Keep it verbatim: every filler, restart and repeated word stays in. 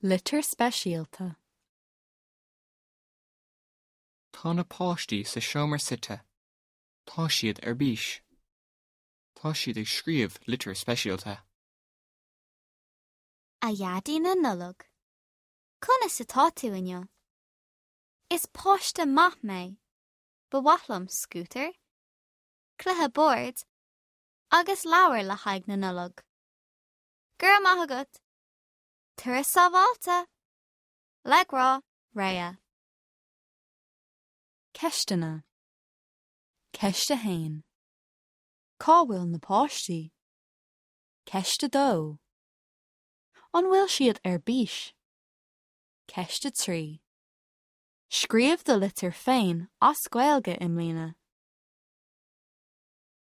Litir speisialta. Tá na páistí sa seomra suite. Tá siad ar bís. Tá siad ag scríobh litir speisialta. A Dhaidí na Nollag. Conas atá tú inniu? Is páiste maith mé. Ba mhaith liom scútar, cluiche boird agus leabhar le haghaidh na Nollag. Go raibh maith agat. Turas sábháilte, Le grá Réa. Ceisteanna. Ceist a haon. Cá bhfuil na páistí? Ceist a dó. An bhfuil siad ar bís? Ceist a trí. Scríobh do litir féin as Gaeilge i mbliana.